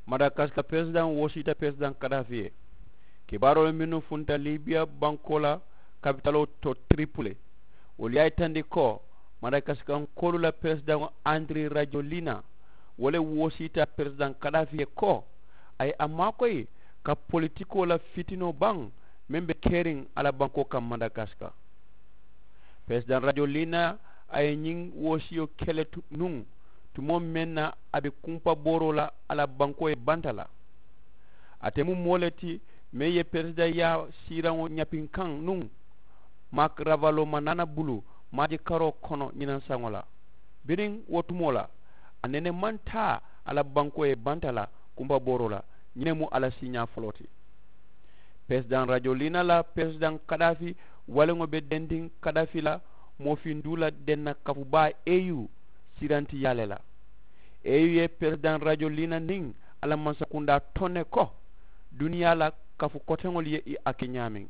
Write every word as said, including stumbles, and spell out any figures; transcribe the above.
Madakasika peresidaŋo woosiita peresidaŋ kadaafi ye. Kibaaroolu mennu funta libiya bankoo la kapitaloo to tiripule, wolu ye a yitandi ko madakasikannkoolu la peresidaŋo andiri rajolina wo le woosiita peresidaŋ kadaafi ye ko a ye a maakoyi ka politikoo la fitinoo baŋ meŋ be keriŋ a la bankoo kaŋ madakasika. Peresidaŋ rajolina a ye ñiŋ woosiyo ke le nuŋ tumoo meŋ na a be kumpabooroo la a la bankoo ye banta la. Ate mu moo le ti meŋ ye peresidaŋyaa siiraŋo ñapinkaŋ nuŋ maakaravaloo ma naana bulu maajikaroo kono ñinaŋ saŋo la. Biriŋ wo tumoo la a nene maŋ taa a la bankoo ye banta la kumpabooroo la. Ñiŋ ne mu a la siiñaa foloo ti. Peresidaŋ rajolina la peresidaŋ kadaafi waleŋo be dendiŋ kadaafi la moofinduu la denna kafu baa eyu sirantiyaa le la. Eyu ye peresidaŋ rajolina niŋ a la mansakundaa toŋ ne ko duniyaa la kafu koteŋolu ye i a ke ñaameŋ.